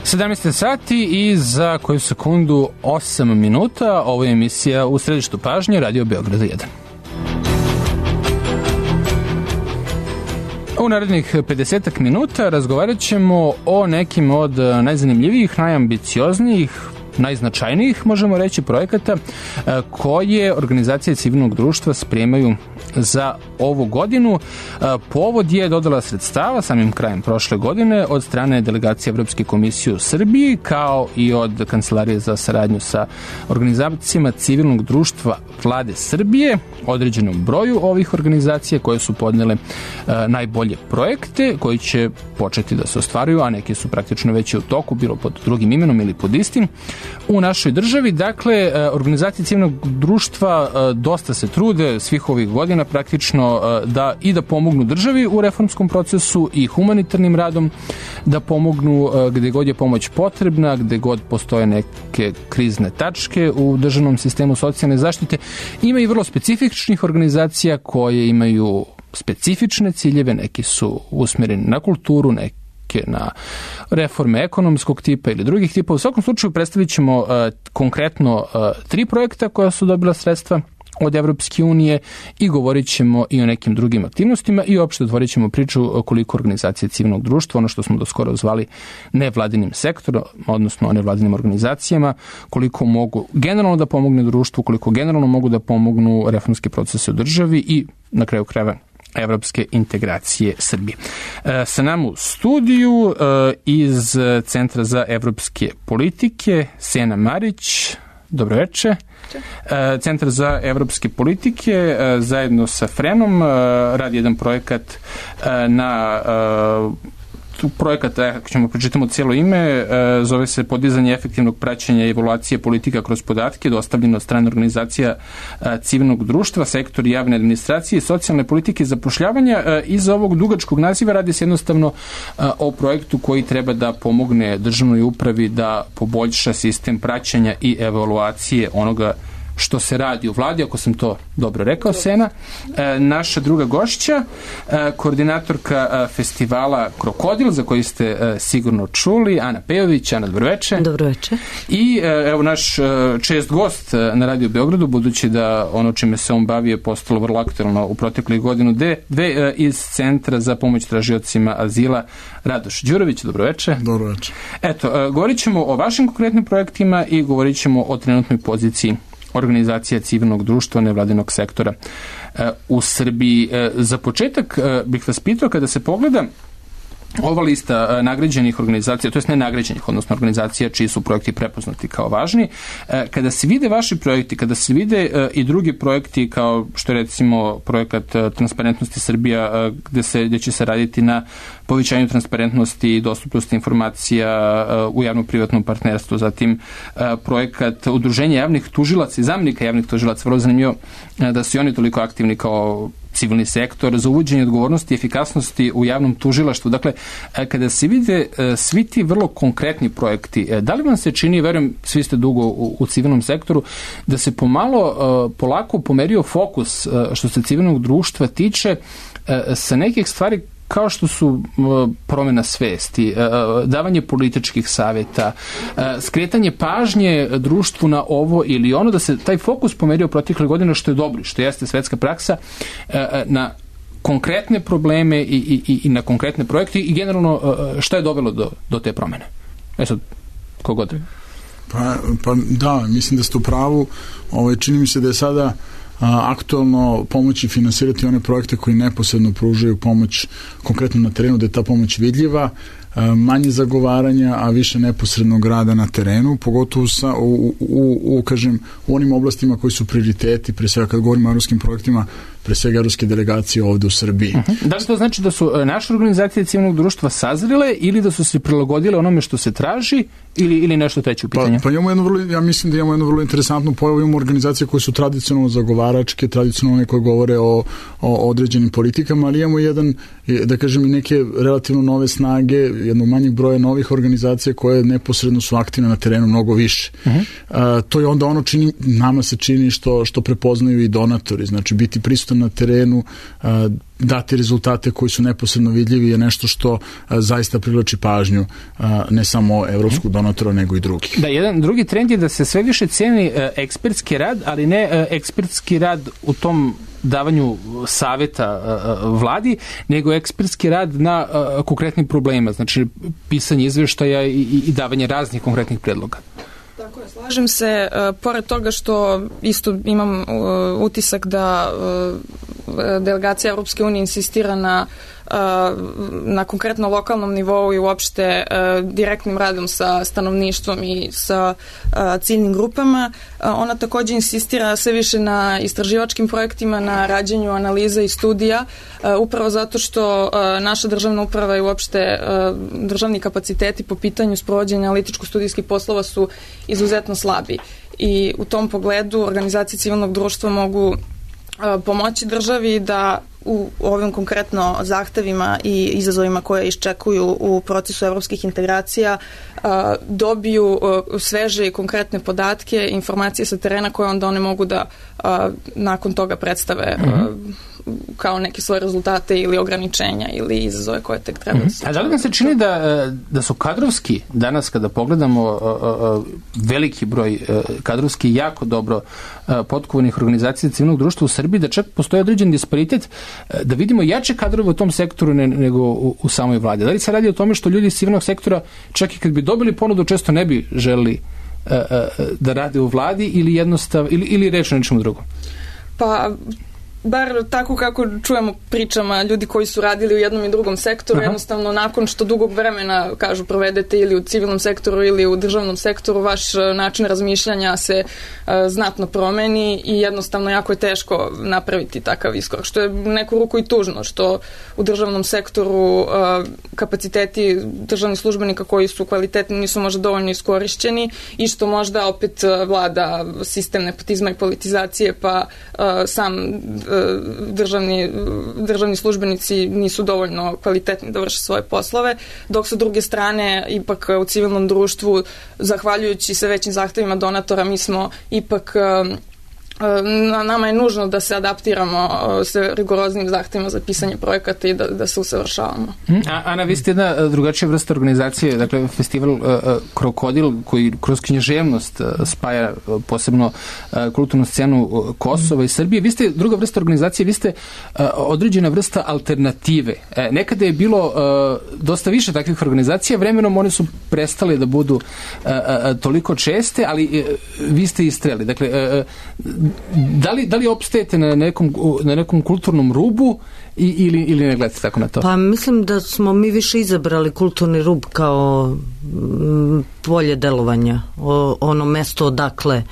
17 sati i za koju sekundu 8 minuta. Ovo je emisija U središtu pažnje Radio Beograda 1. U narednih 50 minuta razgovarat ćemo o nekim od najzanimljivijih, najambicioznijih, najznačajnijih, možemo reći, projekata koje organizacije civilnog društva spremaju za ovu godinu. Povod je dodala sredstava samim krajem prošle godine od strane delegacije Evropske komisije u Srbiji, kao i od Kancelarije za saradnju sa organizacijama civilnog društva Vlade Srbije, određenom broju ovih organizacija koje su podnele najbolje projekte koji će početi da se ostvaruju, a neki su praktično već u toku, bilo pod drugim imenom ili pod istim. U našoj državi, dakle, organizacije civilnog društva dosta se trude svih ovih godina praktično da pomognu državi u reformskom procesu i humanitarnim radom, da pomognu gde god je pomoć potrebna, gde god postoje neke krizne tačke u državnom sistemu socijalne zaštite. Ima i vrlo specifičnih organizacija koje imaju specifične ciljeve, neki su usmjereni na kulturu, neki na reforme ekonomskog tipa ili drugih tipa. U svakom slučaju predstavit ćemo konkretno 3 projekta koja su dobila sredstva od Evropske unije i govorit ćemo i o nekim drugim aktivnostima i uopšte otvorit ćemo priču koliko organizacije civilnog društva, ono što smo do skoro zvali nevladinim sektorom, odnosno nevladinim organizacijama, koliko mogu generalno da pomogne društvu, koliko generalno mogu da pomognu reformske procese u državi i na kraju krajeva evropske integracije Srbije. Sa nama u studiju iz Centra za evropske politike Sena Marić. Dobroveče. Centar za evropske politike zajedno sa FREN-om radi jedan projekat projekat, ako ćemo pročitamo cijelo ime, zove se Podizanje efektivnog praćenja i evaluacije politika kroz podatke, dostavljeno od strane organizacija civilnog društva, sektor javne administracije, socijalne politike i zapošljavanja. Iza ovog dugačkog naziva radi se jednostavno o projektu koji treba da pomogne državnoj upravi da poboljša sistem praćenja i evaluacije onoga što se radi u vladi, ako sam to dobro rekao, Sena. Naša druga gošća, koordinatorka festivala Krokodil, za koji ste sigurno čuli, Ana Pejović. Ana, dobroveče. Dobroveče. I evo naš čest gost na Radio Beogradu, budući da ono čime se on bavi je postalo vrlo aktuelno u proteklih godinu dve iz Centra za pomoć tražiocima azila, Radoš Đurović. Dobroveče. Dobroveče. Eto, govorit ćemo o vašim konkretnim projektima i govorit ćemo o trenutnoj poziciji organizacija civilnog društva, nevladinog sektora u Srbiji. Za početak bih vas pitao, kada se pogleda ova lista nagrađenih organizacija, to jest ne nagrađenih, odnosno organizacija čiji su projekti prepoznati kao važni, kada se vide vaši projekti, kada se vide i drugi projekti kao što je recimo projekat Transparentnosti Srbija, gde će se raditi na povećanju transparentnosti i dostupnosti informacija u javno-privatnom partnerstvu, zatim projekat Udruženja javnih tužilaca i zamenika javnih tužilaca, vrlo zanimljivo da su oni toliko aktivni kao civilni sektor, za uvođenje odgovornosti i efikasnosti u javnom tužilaštvu. Dakle, kada se vide svi ti vrlo konkretni projekti, da li vam se čini, verujem, svi ste dugo u civilnom sektoru, da se polako pomerio fokus što se civilnog društva tiče sa nekih stvari kao što su promjena svesti, davanje političkih savjeta, skretanje pažnje društvu na ovo ili ono, da se taj fokus pomerio protekle godine, što je dobro, što jeste svetska praksa, na konkretne probleme i na konkretne projekte i generalno šta je dovelo do te promjene? Sad, kogod? Pa da, mislim da ste u pravu. Čini mi se da je sada aktualno pomoći finansirati one projekte koji neposredno pružaju pomoć konkretno na terenu, da je ta pomoć vidljiva, manje zagovaranja, a više neposrednog rada na terenu, pogotovo u onim oblastima koji su prioriteti, pre svega kad govorimo o evropskim projektima, pre svega evropske delegacije ovde u Srbiji. Da li to znači da su naše organizacije civilnog društva sazrile ili da su se prilagodile onome što se traži ili nešto treće u pitanju? Pa ja mislim da imamo jednu vrlo interesantnu pojavu. Imamo organizacije koje su tradicionalno zagovaračke, tradicionalno koje govore o određenim politikama, ali imamo i neke relativno nove snage, jednog manjeg broja novih organizacija koje neposredno su aktivne na terenu mnogo više. To je onda nama se čini što prepoznaju i donatori, znači biti prisutan projektom na terenu, dati rezultate koji su neposredno vidljivi je nešto što zaista privlači pažnju ne samo evropskog donatora, nego i drugih. Da, jedan drugi trend je da se sve više ceni ekspertski rad, ali ne ekspertski rad u tom davanju saveta vladi, nego ekspertski rad na konkretnim problemima, znači pisanje izveštaja i davanje raznih konkretnih predloga. Tako je, slažem se. Pored toga što isto imam utisak da delegacija Europske unije insistira na konkretno lokalnom nivou i uopšte direktnim radom sa stanovništvom i sa ciljnim grupama. Ona takođe insistira sve više na istraživačkim projektima, na rađenju analiza i studija, upravo zato što naša državna uprava i uopšte državni kapaciteti po pitanju sprovođenja analitičko-studijskih poslova su izuzetno slabi. I u tom pogledu organizacije civilnog društva mogu pomoći državi da u ovim konkretno zahtevima i izazovima koje iščekuju u procesu evropskih integracija dobiju sveže i konkretne podatke, informacije sa terena koje onda one mogu da nakon toga predstave kao neke svoje rezultate ili ograničenja ili izazove koje tek treba da se... A da li nam se čini da su kadrovski, danas kada pogledamo veliki broj kadrovski jako dobro potkovanih organizacija civilnog društva u Srbiji, da čak postoji određen disparitet, da vidimo jače kadrove u tom sektoru nego u samoj vladi? Da li se radi o tome što ljudi iz civilnog sektora čak i kad bi dobili ponudu često ne bi želeli da rade u vladi ili jednostavno, ili reč o nečemu drugom? Pa bar tako kako čujemo pričama ljudi koji su radili u jednom i drugom sektoru, jednostavno nakon što dugog vremena, kažu, provedete ili u civilnom sektoru ili u državnom sektoru, vaš način razmišljanja se znatno promeni i jednostavno jako je teško napraviti takav iskorak, što je neku ruku i tužno, što u državnom sektoru kapaciteti državnih službenika koji su kvalitetni nisu možda dovoljno iskorišćeni i što možda opet vlada sistem nepotizma i politizacije, pa sam državni službenici nisu dovoljno kvalitetni da vrše svoje poslove, dok sa druge strane ipak u civilnom društvu, zahvaljujući sve većim zahtevima donatora, mi smo ipak nama je nužno da se adaptiramo sa rigoroznim zahtevima za pisanje projekata i da se usavršavamo. Ana, vi ste jedna drugačija vrsta organizacije, dakle festival Krokodil, koji kroz književnost spaja posebno kulturnu scenu Kosova i Srbije. Vi ste druga vrsta organizacije, vi ste određena vrsta alternative. Nekada je bilo dosta više takvih organizacija, vremenom one su prestale da budu toliko česte, ali vi ste istreli. Dakle, da li opstajete na nekom kulturnom rubu ili ne gledate tako na to? Pa mislim da smo mi više izabrali kulturni rub kao polje delovanja, ono mesto odakle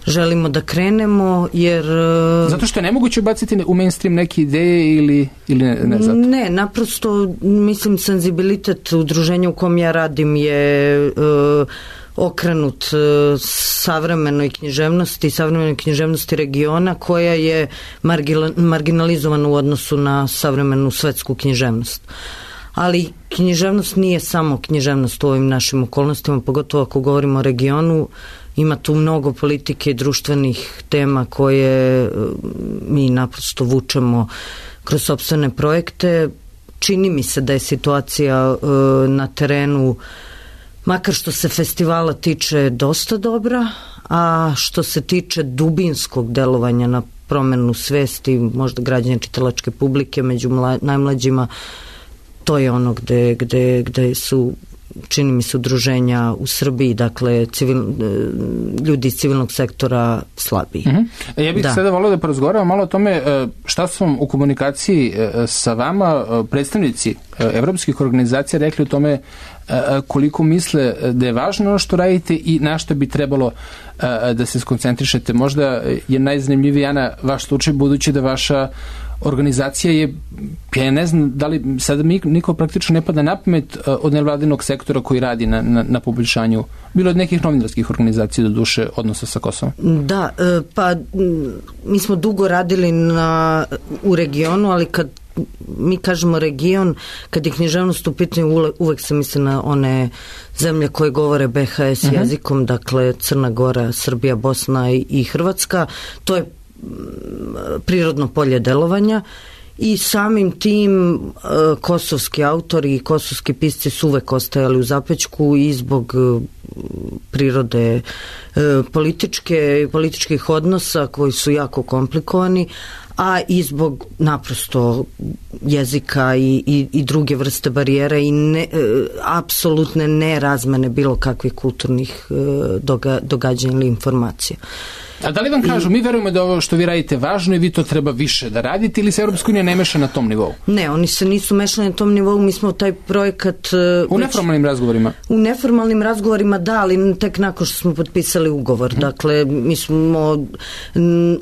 želimo da krenemo, jer... Zato što je nemoguće ubaciti u mainstream neke ideje ili ne zato? Ne, naprosto mislim senzibilitet udruženja u kom ja radim je okrenut savremenoj književnosti regiona, koja je marginalizovana u odnosu na savremenu svetsku književnost. Ali književnost nije samo književnost u ovim našim okolnostima, pogotovo ako govorimo o regionu. Ima tu mnogo politike i društvenih tema koje mi naprosto vučemo kroz sopstvene projekte. Čini mi se da je situacija na terenu, makar što se festivala tiče, dosta dobra, a što se tiče dubinskog delovanja na promenu svesti, možda građanja čitalačke publike među najmlađima, to je ono gde su, čini mi se, udruženja u Srbiji, dakle ljudi iz civilnog sektora slabiji. Ja bih sada volio da porazgovaramo malo o tome šta su vam u komunikaciji sa vama predstavnici evropskih organizacija rekli o tome koliko misle da je važno ono što radite i na što bi trebalo da se skoncentrišete. Možda je najzanimljiviji, Ana, vaš slučaj, budući da vaša organizacija je, ja ne znam da li sada niko praktično ne pada na pamet od nevladinog sektora koji radi na poboljšanju, bilo od nekih novinarskih organizacija do duše odnosa sa Kosovom. Da, pa mi smo dugo radili u regionu, ali kad mi kažemo region, kad je književnost u pitanju, uvek se misli na one zemlje koje govore BHS jezikom, dakle Crna Gora, Srbija, Bosna i Hrvatska. To je prirodno polje delovanja i samim tim kosovski autori i kosovski pisci su uvek ostajali u zapećku i zbog prirode političkih odnosa koji su jako komplikovani, a i zbog naprosto jezika i druge vrste barijera i apsolutne nerazmene bilo kakvih kulturnih događanja ili informacija. A da li vam kažu, mi verujemo da ovo što vi radite važno i vi to treba više da radite, ili se Evropska unija ne meša na tom nivou? Ne, oni se nisu mešali na tom nivou, mi smo taj projekat... U neformalnim razgovorima? U neformalnim razgovorima, da, ali tek nakon što smo potpisali ugovor. Dakle, mi smo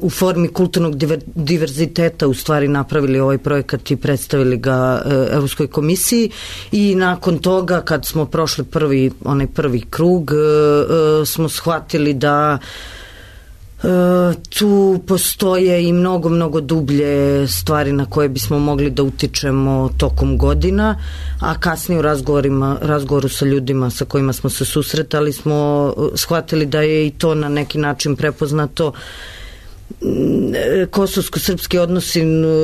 u formi kulturnog diverziteta u stvari napravili ovaj projekat i predstavili ga Evropskoj komisiji i nakon toga, kad smo prošli prvi krug, smo shvatili da tu postoje i mnogo dublje stvari na koje bismo mogli da utičemo tokom godina, a kasnije u razgovoru sa ljudima sa kojima smo se susretali smo shvatili da je i to na neki način prepoznato. Kosovsko-srpski odnosi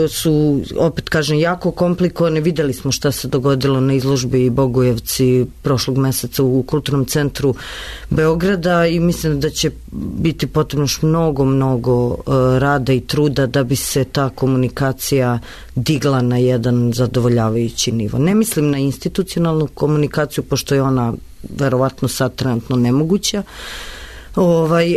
su, opet kažem, jako komplikovane. Videli smo šta se dogodilo na izložbi Bogujevci prošlog meseca u Kulturnom centru Beograda i mislim da će biti potrebno još mnogo rada i truda da bi se ta komunikacija digla na jedan zadovoljavajući nivo. Ne mislim na institucionalnu komunikaciju, pošto je ona verovatno sad trenutno nemoguća,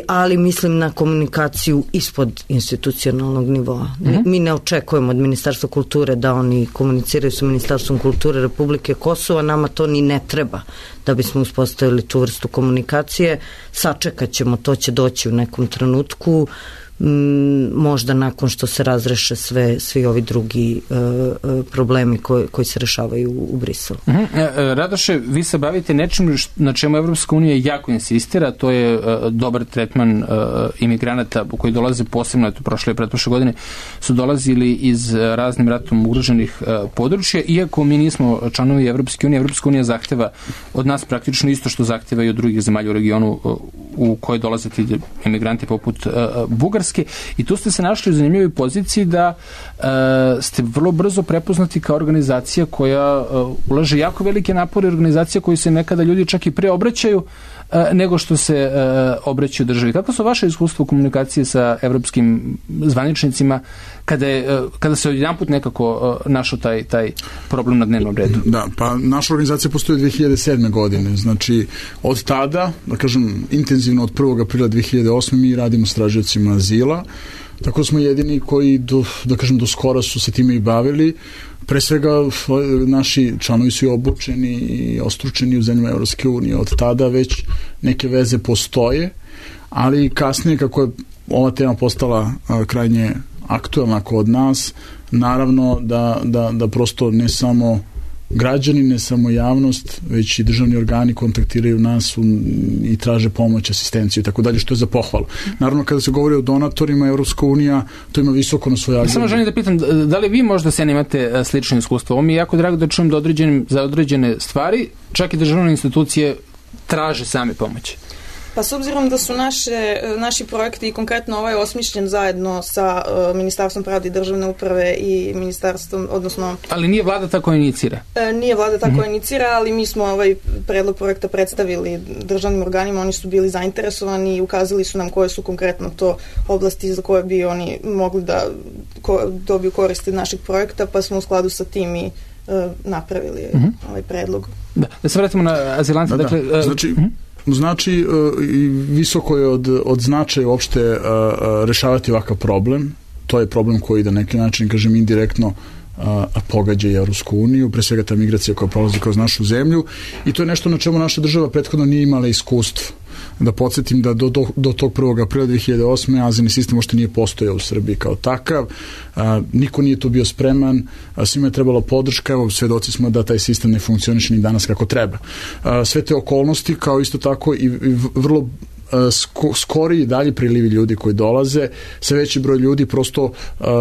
ali mislim na komunikaciju ispod institucionalnog nivoa. Mi ne očekujemo od Ministarstva kulture da oni komuniciraju sa Ministarstvom kulture Republike Kosova, nama to ni ne treba da bismo uspostavili tu vrstu komunikacije. Sačekat ćemo, to će doći u nekom trenutku, možda nakon što se razreše svi ovi drugi problemi koji se rešavaju u Briselu. Radoše, vi se bavite nečim na čemu Evropska unija jako insistira, to je dobar tretman imigranata koji dolaze posebno, prošle i pretprošle godine su dolazili iz raznim ratom ugroženih područja, iako mi nismo članovi Evropske unije. Evropska unija zahteva od nas praktično isto što zahteva i od drugih zemalja u regionu u koje dolaze ti imigranti poput Bugarske. I tu ste se našli u zanimljivoj poziciji da ste vrlo brzo prepoznati kao organizacija koja ulaže jako velike napore, organizacija koju se nekada ljudi čak i pre obraćaju nego što se obraćaju državi. Kako su vaše iskustvo u komunikaciji sa evropskim zvaničnicima kada se odjedanput nekako našao taj problem na dnevnom redu? Da, pa naša organizacija postoji 2007. godine. Znači, od tada, da kažem, intenzivno od 1. aprila 2008. mi radimo s tražiocima azila. Tako smo jedini koji do skora su se time i bavili. Pre svega naši članovi su i obučeni i ostručeni u zemljama Evropske unije. Od tada već neke veze postoje, ali kasnije kako je ova tema postala krajnje aktuelna kod nas, naravno da prosto ne samo građani, ne samo javnost, već i državni organi kontaktiraju nas i traže pomoć, asistenciju i tako dalje, što je za pohvalu. Naravno, kada se govori o donatorima, Evropska unija to ima visoko na svojoj agendi. Samo želim da pitam, da li vi možda se imate slično iskustvo? Ovo mi je jako drago da čujem da za određene stvari, čak i državne institucije traže same pomoći. Pa s obzirom da su naši projekti i konkretno ovaj osmišljen zajedno sa Ministarstvom pravde i državne uprave i ministarstvom, odnosno... Ali nije vlada tako inicira? Nije vlada tako inicira, ali mi smo ovaj predlog projekta predstavili državnim organima, oni su bili zainteresovani i ukazali su nam koje su konkretno to oblasti za koje bi oni mogli da dobiju koristi našeg projekta, pa smo u skladu sa tim i napravili ovaj predlog. Da se vratimo na azilante. Znači, visoko je od značaja uopšte rešavati ovakav problem. To je problem koji na neki način, kažem, indirektno pogađa i Evropsku uniju, pre svega ta migracija koja prolazi kroz našu zemlju, i to je nešto na čemu naša država prethodno nije imala iskustvo. Da podsjetim da do tog 1. aprila 2008. azilni sistem uopšte nije postojao u Srbiji kao takav, niko nije tu bio spreman, svima je trebala podrška, evo svedoci smo da taj sistem ne funkcioniše ni danas kako treba. Sve te okolnosti, kao isto tako i vrlo skoriji dalje prilivi ljudi koji dolaze, sve veći broj ljudi prosto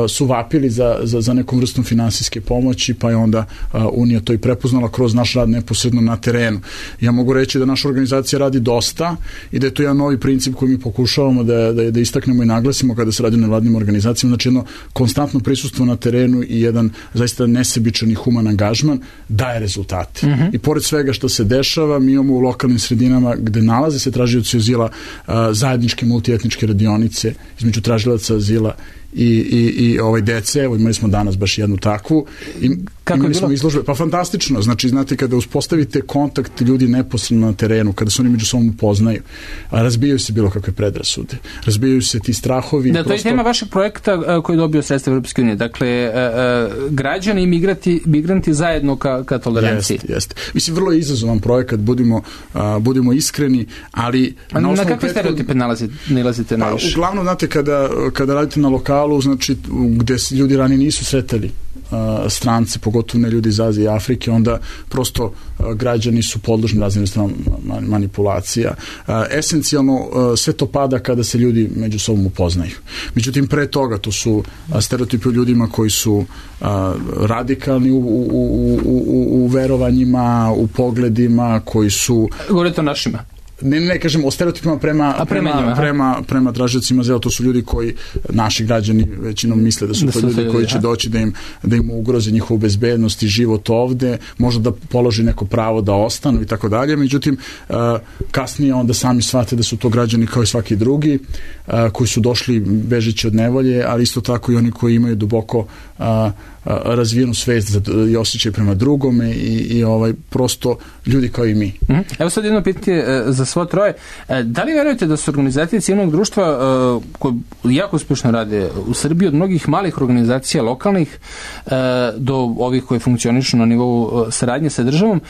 su vapili za nekom vrstom finansijske pomoći, pa je onda Unija to i prepoznala kroz naš rad neposredno na terenu. Ja mogu reći da naša organizacija radi dosta i da je to jedan novi princip koji mi pokušavamo da istaknemo i naglasimo kada se radi o nevladnim organizacijama, znači jedno konstantno prisustvo na terenu i jedan zaista nesebičan i human angažman daje rezultate. I pored svega što se dešava, mi imamo u lokalnim sredinama gde nalaze se tražioci azila zajedničke multietničke radionice između tražilaca azila i dece. Evo, imali smo danas baš jednu takvu. Imali smo izložbe. Pa fantastično. Znači, znate, kada uspostavite kontakt ljudi neposredno na terenu, kada se oni među sobom upoznaju, razbijaju se bilo kakve predrasude. Razbijaju se ti strahovi. Da, to je tema vašeg projekta koji je dobio sredstva Evropske unije. Dakle, građani i migranti zajedno ka toleranciji. Jeste. Mislim, vrlo je izazovan projekat, budimo iskreni, ali... Na kakve stereotipe nalazite najviše? Uglavnom, znate, kada radite na lokalu, znači, gde ljudi ranije nisu sretali strance, pogotovo ne ljudi iz Azije i Afrike, onda prosto građani su podložni raznim vrstama manipulacija. Esencijalno sve to pada kada se ljudi među sobom upoznaju. Međutim, pre toga to su stereotipi o ljudima koji su radikalni u verovanjima, u pogledima, koji su... Govorite o našima? Ne kažem o stereotipima prema tražiocima azila. To su ljudi koji, naši građani većinom misle da su to ljudi koji će doći da im ugroze njihovu bezbednost i život ovde, možda da položi neko pravo da ostanu i tako dalje. Međutim, kasnije onda sami shvate da su to građani kao i svaki drugi, koji su došli bežeći od nevolje, ali isto tako i oni koji imaju duboko razvijenu svest i osjećaj prema drugome i prosto ljudi kao i mi. Evo sad jedno pitanje za svo troje. Da li verujete da su organizacije civilnog društva koje jako uspješno rade u Srbiji, od mnogih malih organizacija lokalnih do ovih koje funkcionišu na nivou saradnje sa državom,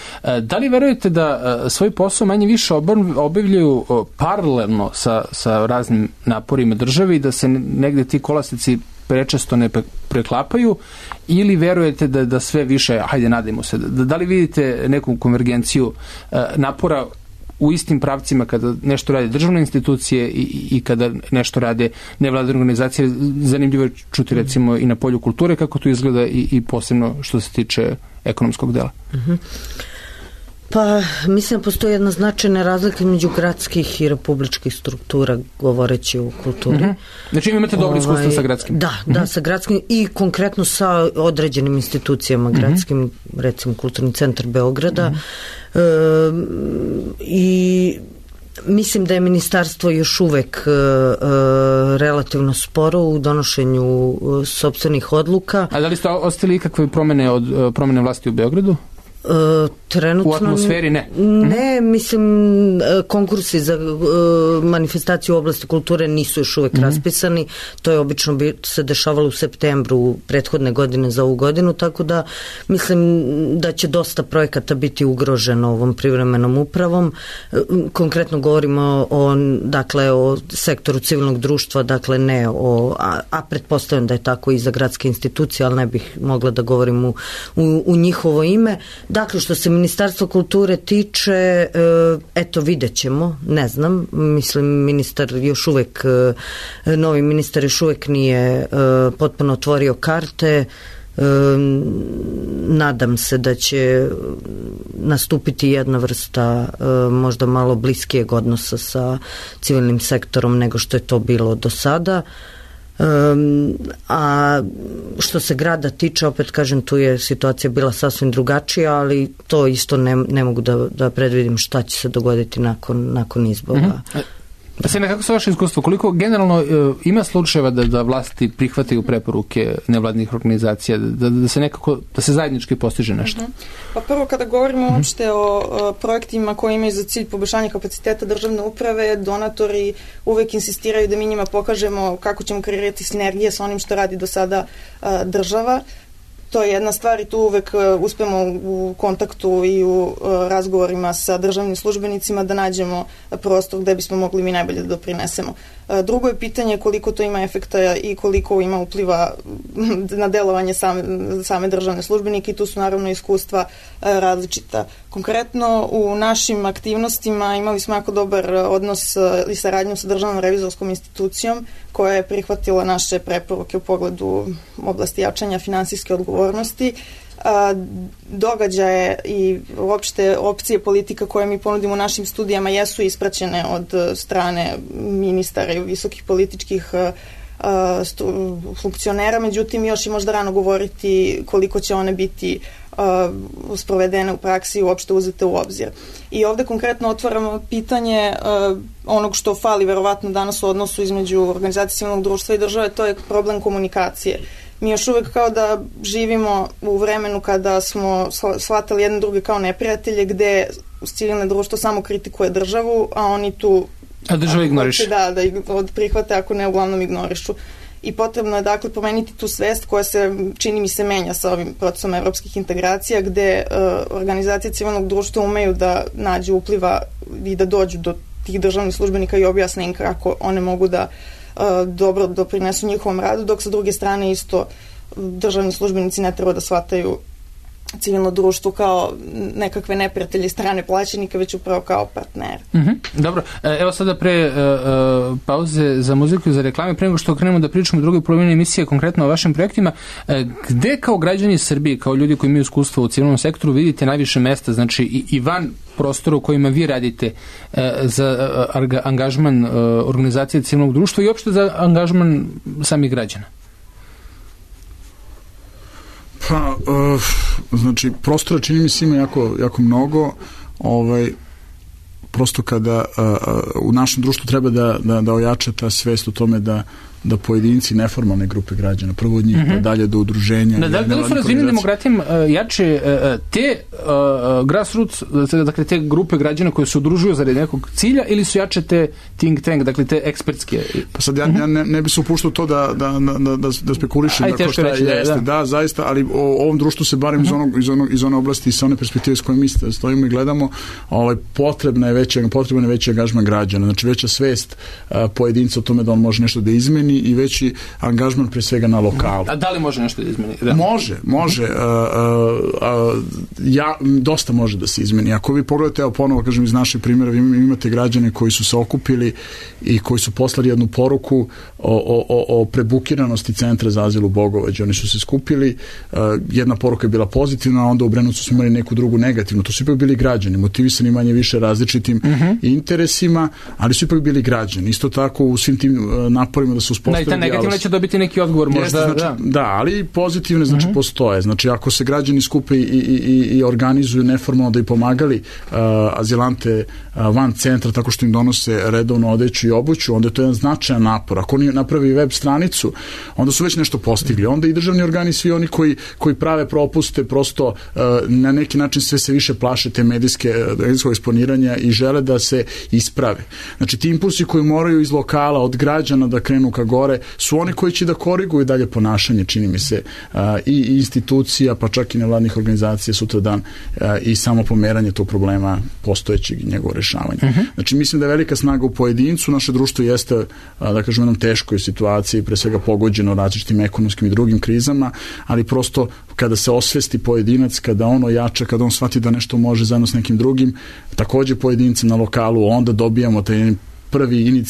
da li verujete da svoj posao manje više obavljaju paralelno sa raznim naporima države i da se negde ti kolasici prečesto ne preklapaju, ili verujete da sve više, hajde nadajmo se, da li vidite neku konvergenciju napora u istim pravcima kada nešto rade državne institucije i kada nešto rade nevladine organizacije? Zanimljivo je čuti recimo i na polju kulture kako to izgleda i posebno što se tiče ekonomskog dela. Pa, mislim da postoji jedna značajna razlika između gradskih i republičkih struktura, govoreći o kulturi. Znači imate dobro iskustvo sa gradskim? Da, sa gradskim i konkretno sa određenim institucijama gradskim, recimo Kulturni centar Beograda. I mislim da je ministarstvo još uvek relativno sporo u donošenju sopstvenih odluka. A da li ste ostali ikakve promene od promene vlasti u Beogradu? Trenutno, u atmosferi ne. Ne, mislim, konkursi za manifestaciju u oblasti kulture nisu još uvek raspisani. To je obično se dešavalo u septembru prethodne godine za ovu godinu, tako da mislim da će dosta projekata biti ugroženo ovom privremenom upravom. Konkretno govorimo o sektoru civilnog društva, dakle ne a pretpostavljam da je tako i za gradske institucije, ali ne bih mogla da govorim u njihovo ime. Dakle, što se Ministarstva kulture tiče, eto, vidjet ćemo, ne znam, mislim, novi ministar još uvek nije potpuno otvorio karte. Nadam se da će nastupiti jedna vrsta možda malo bliskijeg odnosa sa civilnim sektorom nego što je to bilo do sada. A što se grada tiče, opet kažem, tu je situacija bila sasvim drugačija, ali to isto ne mogu da predvidim šta će se dogoditi nakon izbora. Sena, kako su vaše iskustvo? Koliko generalno ima slučajeva da vlasti prihvataju preporuke nevladnih organizacija, da se zajednički postiže nešto? Pa prvo, kada govorimo uopšte o projektima koji imaju za cilj poboljšanje kapaciteta državne uprave, donatori uvek insistiraju da mi njima pokažemo kako ćemo kreirati sinergije sa onim što radi do sada država. To je jedna stvar i tu uvek uspemo u kontaktu i u razgovorima sa državnim službenicima da nađemo prostor gde bismo mogli mi najbolje da doprinesemo. Drugo je pitanje koliko to ima efekta i koliko ima upliva na delovanje same državne službenike i tu su naravno iskustva različita. Konkretno u našim aktivnostima imali smo jako dobar odnos i saradnju sa Državnom revizorskom institucijom koja je prihvatila naše preporuke u pogledu oblasti jačanja finansijske odgovornosti. Događaje i uopšte opcije politika koje mi ponudimo u našim studijama jesu ispraćene od strane ministara i visokih političkih funkcionera, međutim još je možda rano govoriti koliko će one biti sprovedene u praksi i uopšte uzete u obzir. I ovde konkretno otvaramo pitanje onog što fali verovatno danas u odnosu između organizacije civilnog društva i države, to je problem komunikacije. Mi još uvek kao da živimo u vremenu kada smo shvatali jedne druge kao neprijatelje, gde civilno društvo samo kritikuje državu, a oni tu... A država ignoriše. Da ih prihvate, ako ne, uglavnom ignorišu. I potrebno je dakle pomeniti tu svest koja se, čini mi se, menja sa ovim procesom evropskih integracija, gde organizacije civilnog društva umeju da nađu upliva i da dođu do tih državnih službenika i objasne im kako one mogu da dobro doprinesu njihovom radu, dok sa druge strane isto državni službenici ne treba da shvataju civilno društvo kao nekakve neprijatelje strane plaćenika, već upravo kao partner. Dobro, evo sada pre pauze za muziku i za reklame, pre nego što krenemo da pričamo u drugoj polovini emisije konkretno o vašim projektima, gde kao građani Srbije, kao ljudi koji imaju iskustvo u civilnom sektoru, vidite najviše mesta, znači i van prostora u kojima vi radite za angažman organizacije civilnog društva i uopšte za angažman samih građana? Pa, znači, prostora čini mi se ima jako mnogo, prosto kada u našem društvu treba da ojača ta svest o tome da pojedinci, neformalne grupe građana, prvo od njih, pa dalje do udruženja. Da li su razvijenim demokratijama jače te grassroots, dakle te grupe građana koje se udružuju zaradi nekog cilja, ili su jače te think tank, dakle te ekspertske? Pa sad ja ne bi se upuštao to da spekulišem dakle šta jeste. Da, zaista, ali o ovom društvu se barem iz one oblasti i sa one perspektive s kojom mi stojimo i gledamo, potreban je veći angažman građana, znači veća svest pojedinca o tome da on može nešto da izmeni i veći angažman pre svega na lokalu. A da li može nešto da izmeni? Da. Može. Dosta može da se izmeni. Ako vi pogledate, evo ponovo kažem iz naših primjera, vi imate građane koji su se okupili i koji su poslali jednu poruku o prebukiranosti centra za azil u Bogovađu. Oni su se skupili, jedna poruka je bila pozitivna, a onda u Brenovcu smo imali neku drugu negativnu. To su ipak bili građani, motivisani manje više različitim interesima, ali su ipak bili građani. Isto tako u svim tim naporima da se uspostavi dijalog. Da, i ta negativna će dobiti neki odgovor možda. Da, ali pozitivne postoje. Znači, ako se građani skupe i organizuju neformalno da i pomagali azilante van centra tako što im donose redovno odeću i obuću, onda je to jedan značajan napor. Ako oni napravi web stranicu, onda su već nešto postigli. Onda i državni organi, svi oni koji prave propuste, prosto na neki način sve se više plaše te medijskog eksponiranja i žele da se isprave. Znači, ti impulsi koji moraju iz lokala, od građana da krenu ka gore, su oni koji će da koriguju dalje ponašanje, čini mi se, i institucija, pa čak i nevladnih organizacija sutradan i samo pomeranje tog problema postojećeg i njegovo rešavanje. Znači, mislim da je velika snaga u pojedincu, naše društvo jeste, da kažem, u jednom teškoj situaciji, pre svega pogođeno različitim ekonomskim i drugim krizama, ali prosto kada se osvesti pojedinac, kada on ojača, kada on shvati da nešto može zajedno s nekim drugim, takođe pojedinci na lokalu, onda dobijamo taj prvi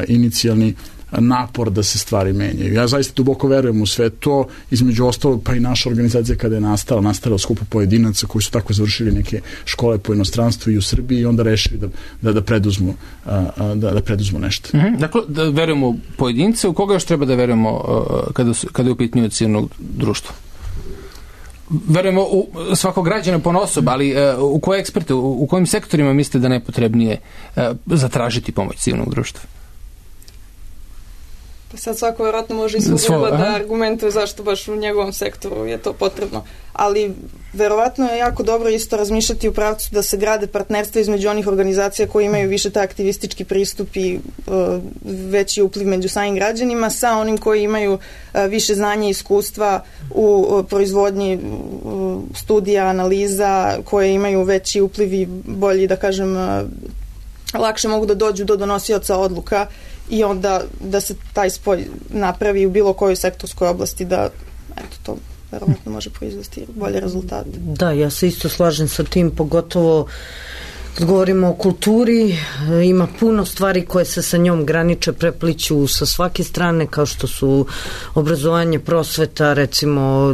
inicijalni napor da se stvari menjaju. Ja zaista duboko verujem u sve to, između ostalog, pa i naša organizacija kada je nastala u skupu pojedinaca koji su tako završili neke škole po inostranstvu i u Srbiji i onda rešili da preduzmu nešto. Dakle, da verujemo u pojedince, u koga još treba da verujemo kada je u pitanju civilnog društva? Verujemo u svakog građana ponaosob, ali u koje eksperte, u kojim sektorima mislite da najpotrebnije zatražiti pomoć civilnog društva? Pa sad svako vjerojatno može i svoj da argumentuje zašto baš u njegovom sektoru je to potrebno. Ali verovatno je jako dobro isto razmišljati u pravcu da se grade partnerstva između onih organizacija koji imaju više taj aktivistički pristup i veći upliv među samim građanima sa onim koji imaju više znanja i iskustva u proizvodnji studija, analiza, koje imaju veći upliv i bolji, da kažem, lakše mogu da dođu do donosioca odluka i onda da se taj spoj napravi u bilo kojoj sektorskoj oblasti, da eto to verovatno može proizvesti bolje rezultate. Da, ja se isto slažem sa tim, pogotovo kad govorimo o kulturi, ima puno stvari koje se sa njom graniče, prepliću sa svake strane, kao što su obrazovanje, prosveta, recimo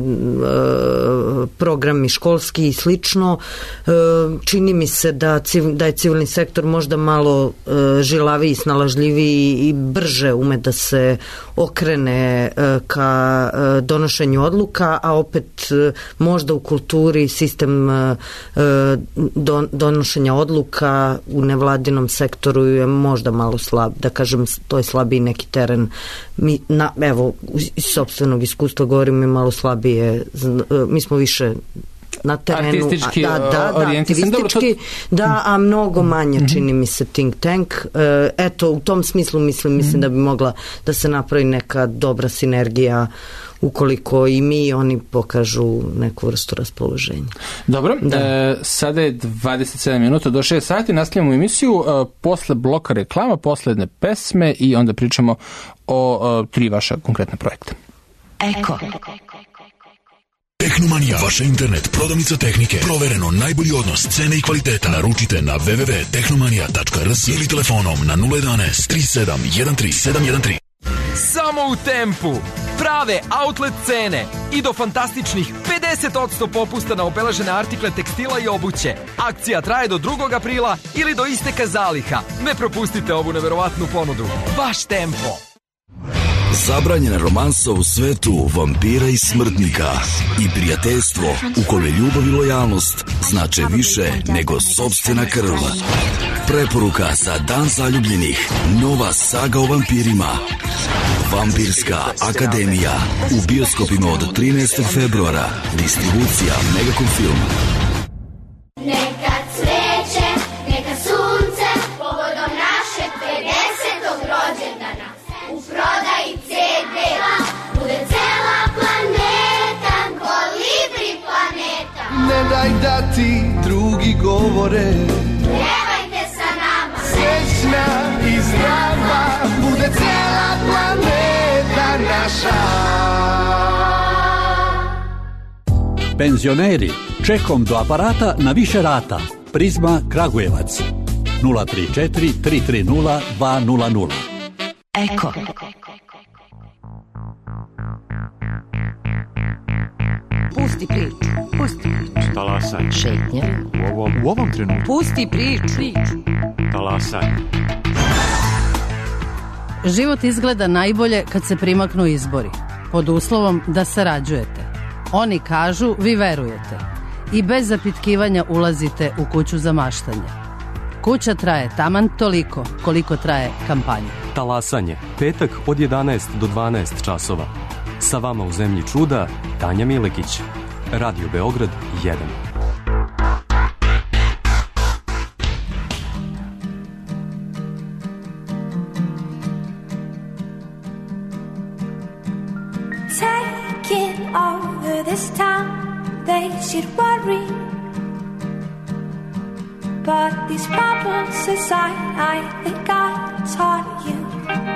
programi školski i slično. Čini mi se da je civilni sektor možda malo žilaviji, snalažljiviji i brže ume da se okrene ka donošenju odluka, a opet možda u kulturi sistem donošenja odluka u nevladinom sektoru je možda malo slab, da kažem, to je slabiji neki teren. Evo, iz sopstvenog iskustva govorim, mi malo slabije, mi smo više na terenu, artistički aktivistički, a mnogo manje čini mi se think tank. Eto, u tom smislu mislim da bi mogla da se napravi neka dobra sinergija ukoliko i mi oni pokažu neku vrstu raspoloženja. Dobro, sada je 27 minuta do 6 sati, nastavljamo emisiju posle bloka reklama, posle jedne pesme i onda pričamo o 3 vaša konkretna projekta. Eko. Tehnomanija, vaša internet, prodavnica tehnike, provereno najbolji odnos cene i kvaliteta. Naručite na www.tehnomanija.rs ili telefonom na 011 37 13713. Samo u Tempu. Prave outlet cene i do fantastičnih 50% popusta na obeležene artikle tekstila i obuće. Akcija traje do 2. aprila ili do isteka zaliha. Ne propustite ovu neverovatnu ponudu. Baš Tempo. Zabranjena romansa u svetu vampira i smrtnika i prijateljstvo u kome ljubav i lojalnost znače više nego sopstvena krv. Preporuka za Dan zaljubljenih. Nova saga o vampirima. Vampirska akademija. U bioskopima od 13. februara. Distribucija Megacom Film. Neka cveće, neka sunce, povodom našeg 50. rođendana. U prodaji CD-a bude cela planeta, Kolibri planeta. Ne daj da ti drugi govore, Pjevajte sa nama, srećna i zdrava, bude cela planeta naša. Penzioneri, čekom do aparata na više rata. Prizma Kragujevac 034 330 200. Eko. Pusti priču. Talasanje. Šetnja. U ovom trenutku. Pusti priču. Talasanje. Život izgleda najbolje kad se primaknu izbori, pod uslovom da sarađujete. Oni kažu, vi verujete. I bez zapitkivanja ulazite u kuću za maštanje. Kuća traje taman toliko koliko traje kampanja. Talasanje. Petak od 11 do 12 časova. Sa vama u zemlji čuda, Tanja Milekić. Radio Beograd 1. Taking over this town, they should worry. But these problems aside, I think I taught you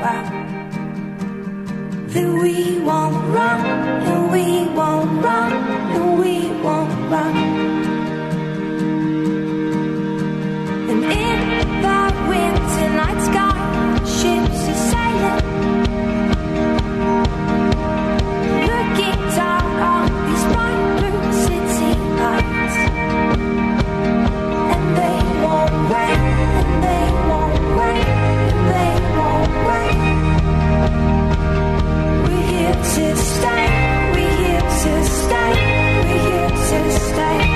well. That we won't run, and we won't run, and we won't run. And in the winter night sky, ships are sailing, looking down on these bright blue city lights. And they won't wait, and they won't wait, and they won't wait. We're here to stay, we're here to stay, we're here to stay.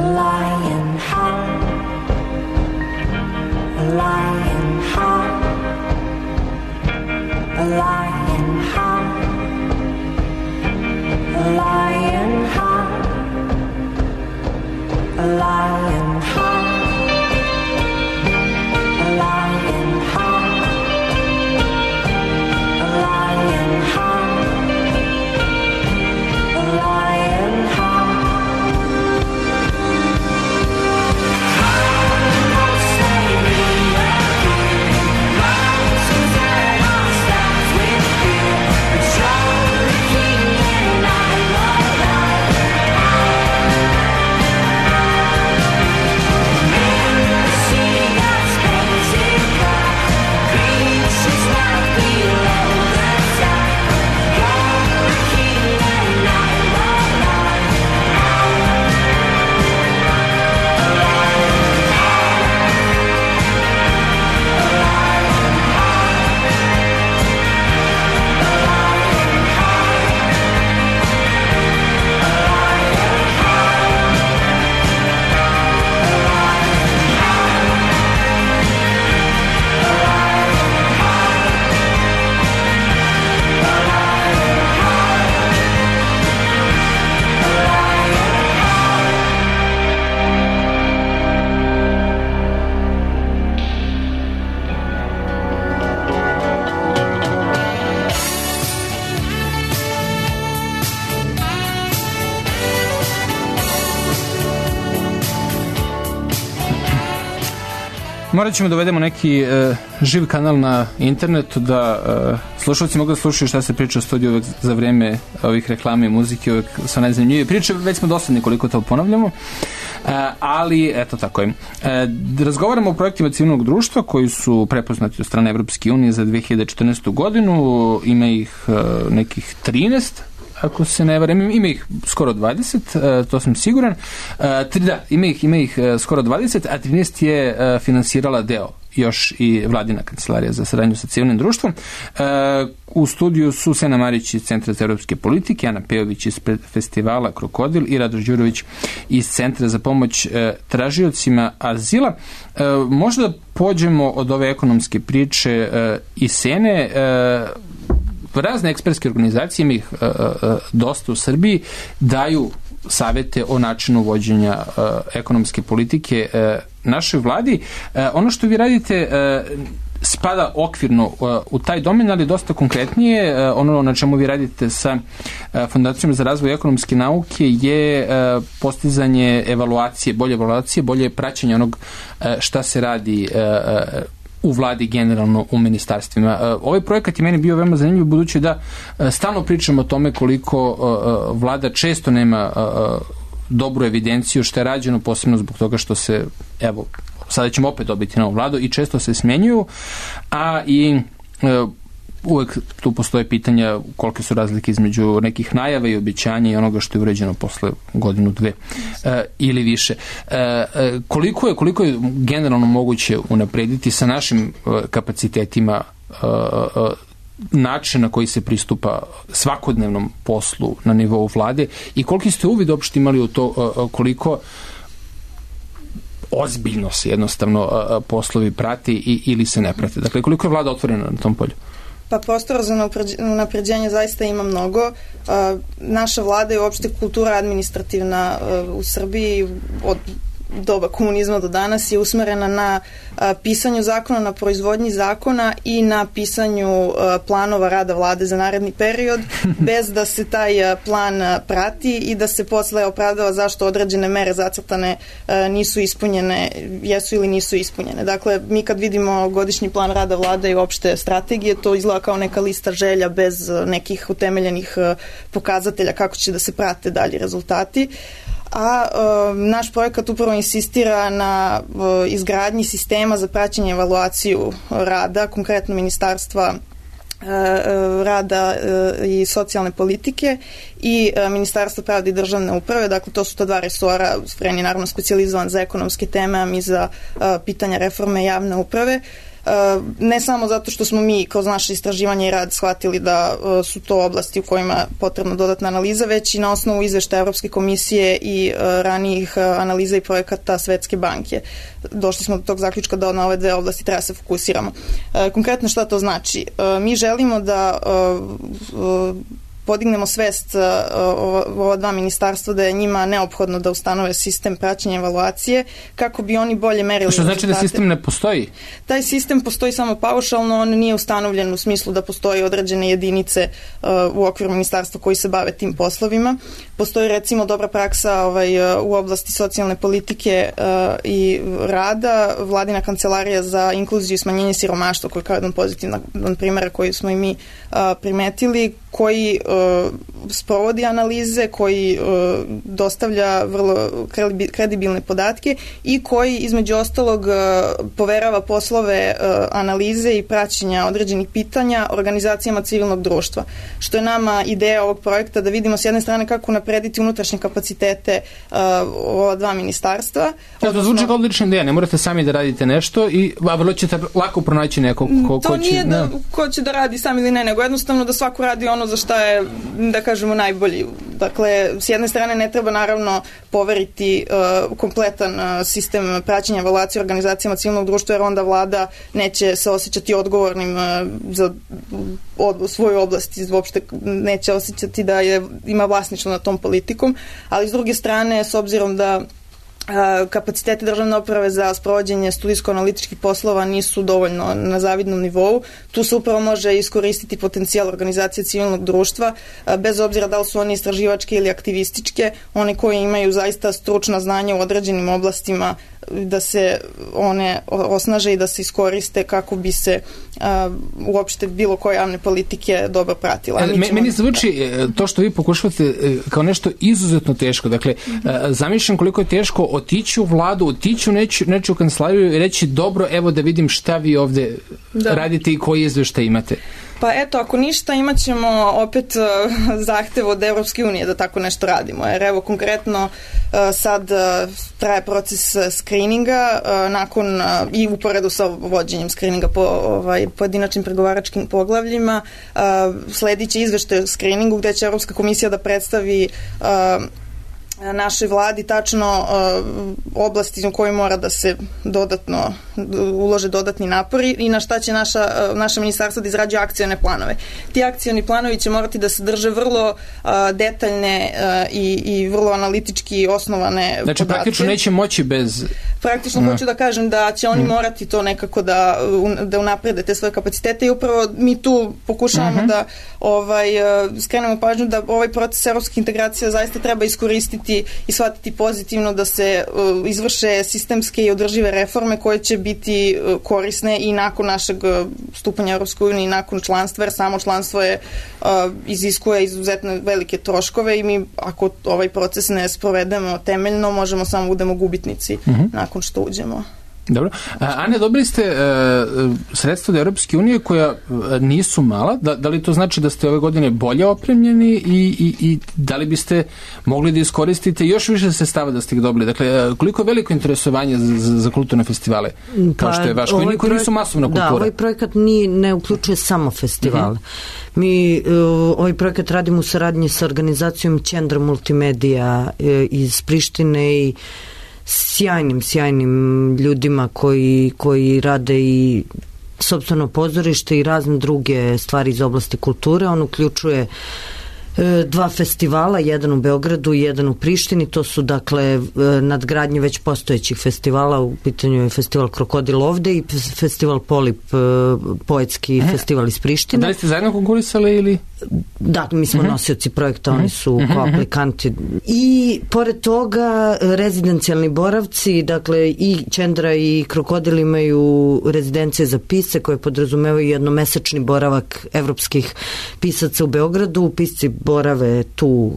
lion heart, a lion heart, a lion heart, a lion heart, a lion heart, a lion heart, a lion heart, a lion heart. Morat ćemo da uvedemo neki živ kanal na internetu da slušalci mogu da slušaju šta se priča u studiju uvek za vreme ovih reklama i muzike, uvek su najzanimljivije priče, već smo dosadni koliko to ponavljamo, ali eto tako je. Razgovaramo o projektima civilnog društva koji su prepoznati od strane Evropske unije za 2014. godinu, ima ih nekih 13, ako se ne varam, ima ih skoro 20, to sam siguran. Ima ih skoro 20, a 13 je finansirala deo još i Vladina kancelarija za saradnju sa civilnim društvom. U studiju su Sena Marić iz Centra za evropske politike, Ana Pejović iz festivala Krokodil i Radoš Đurović iz Centra za pomoć tražiocima azila. Možda pođemo od ove ekonomske priče i Sene. Razne ekspertske organizacije, ima ih dosta u Srbiji, daju savete o načinu vođenja ekonomske politike našoj vladi. Ono što vi radite spada okvirno u taj domen, ali dosta konkretnije. Ono na čemu vi radite sa Fondacijom za razvoj ekonomske nauke je postizanje evaluacije, bolje praćenje onog šta se radi u vladi, generalno u ministarstvima. Ovaj projekat je meni bio veoma zanimljiv, budući da stalno pričamo o tome koliko vlada često nema dobru evidenciju šta je rađeno, posebno zbog toga što se, evo, sada ćemo opet dobiti novu vladu i često se smenjuju, a i uvek tu postoje pitanja kolike su razlike između nekih najava i obećanja i onoga što je uređeno posle godinu, dve ili više. Koliko je generalno moguće unaprediti sa našim kapacitetima način na koji se pristupa svakodnevnom poslu na nivou vlade i koliki ste uvid uopšte imali u to koliko ozbiljno se jednostavno poslovi prati ili se ne prate? Dakle, koliko je vlada otvorena na tom polju? Pa prostora za unapređenje zaista ima mnogo. Naša vlada i uopšte kultura administrativna u Srbiji od doba komunizma do danas je usmerena na pisanju zakona, na proizvodnji zakona i na pisanju planova rada vlade za naredni period, bez da se taj plan prati i da se posle opravdava zašto određene mere zacrtane nisu ispunjene, jesu ili nisu ispunjene. Dakle, mi kad vidimo godišnji plan rada vlade i uopšte strategije, to izgleda kao neka lista želja bez nekih utemeljenih pokazatelja kako će da se prate dalji rezultati. A naš projekat upravo insistira na izgradnji sistema za praćenje i evaluaciju rada, konkretno Ministarstva rada i socijalne politike i Ministarstva pravde i državne uprave. Dakle, to su ta dva resora, Fren je naravno specijalizovan za ekonomske teme, a mi za pitanja reforme javne uprave. ne samo zato što smo mi kroz naše istraživanje i rad shvatili da su to oblasti u kojima je potrebna dodatna analiza, već i na osnovu izveštaja Evropske komisije i ranijih analiza i projekata Svetske banke. Došli smo do tog zaključka da na ove dve oblasti treba se fokusiramo. Konkretno šta to znači? Mi želimo da podignemo svest ova dva ministarstva da je njima neophodno da ustanove sistem praćenja evaluacije kako bi oni bolje merili. Što znači da sistem ne postoji? Taj sistem postoji samo paušalno, on nije ustanovljen u smislu da postoji određene jedinice u okviru ministarstva koji se bave tim poslovima. Postoji recimo dobra praksa u oblasti socijalne politike i rada, Vladina kancelarija za inkluziju i smanjenje siromaštva, koji je kao jedan pozitivan primjer koji smo i mi primetili, koji sprovodi analize, koji dostavlja vrlo kredibilne podatke i koji između ostalog poverava poslove analize i praćenja određenih pitanja organizacijama civilnog društva. Što je nama ideja ovog projekta, da vidimo s jedne strane kako naprediti unutrašnje kapacitete ova dva ministarstva. To zvuči kao odlična ideja, ne morate sami da radite nešto i vrlo ćete lako pronaći nekog ko će... To nije ko će da radi sam ili ne, nego jednostavno da svako radi ono za šta je, da kažemo, najbolji. Dakle, s jedne strane ne treba naravno poveriti kompletan sistem praćenja evaluacije organizacijama civilnog društva, jer onda vlada neće se osjećati odgovornim za svoju oblast, uopšte neće osjećati da ima vlasništvo nad tom politikom, ali s druge strane, s obzirom da kapaciteti državne uprave za sprovođenje studijsko-analitičkih poslova nisu dovoljno na zavidnom nivou. Tu se upravo može iskoristiti potencijal organizacije civilnog društva, bez obzira da li su one istraživačke ili aktivističke, one koje imaju zaista stručna znanja u određenim oblastima, da se one osnaže i da se iskoriste kako bi se uopšte bilo koje javne politike dobro pratila. Meni zvuči to što vi pokušavate kao nešto izuzetno teško. Dakle, zamišljam koliko je teško otići u vladu, otići u nečiju kancelariju i reći dobro, evo da vidim šta vi ovde radite i koji izveštaj imate. Pa eto, ako ništa, imat ćemo opet zahtev od Evropske unije da tako nešto radimo. Jer evo, konkretno sad traje proces skrininga nakon i uporedu sa vođenjem skrininga po pojedinačnim pregovaračkim poglavljima. Sledit će izveštaj o skriningu gde će Evropska komisija da predstavi našoj vladi tačno oblasti u kojoj mora da se dodatno ulože dodatni napori i na šta će naše ministarstvo da izrađuje akcione planove. Ti akcioni planovi će morati da sadrže vrlo detaljne i vrlo analitički osnovane podatke. Znači, praktično neće moći bez... Praktično hoću da kažem da će oni morati to nekako da unaprede te svoje kapacitete i upravo mi tu pokušavamo da skrenemo pažnju da ovaj proces evropskih integracija zaista treba iskoristiti i shvatiti pozitivno, da se izvrše sistemske i održive reforme koje će biti korisne i nakon našeg stupanja u Europskoj uniji i nakon članstva, jer samo članstvo iziskuje izuzetno velike troškove i mi ako ovaj proces ne sprovedemo temeljno, možemo samo budemo gubitnici nakon što uđemo. Dobro. Ane, dobili ste sredstva od Europske unije koja nisu mala. Da li to znači da ste ove godine bolje opremljeni i da li biste mogli da iskoristite još više sredstava da ste ih dobili? Dakle, koliko je veliko interesovanje za kulturne festivale kao što je vaš, koji nisu masovna kultura? Da, ovaj projekat ne uključuje samo festivale. Mi ovaj projekat radimo u saradnji sa organizacijom Centra Multimedija iz Prištine i sjajnim ljudima koji rade i sopstveno pozorište i razne druge stvari iz oblasti kulture. On uključuje 2 festivala, jedan u Beogradu i jedan u Prištini. To su dakle nadgradnje već postojećih festivala. U pitanju je festival Krokodil ovde i festival Polip, poetski festival iz Prištine. Da li ste zajedno konkurisali ili? Da, mi smo nosioci projekta, oni su kao aplikanti. I pored toga rezidencijalni boravci, dakle i Čendra i Krokodil imaju rezidencije za pisce koje podrazumevaju jednomesečni boravak evropskih pisaca u Beogradu. Pisci borave tu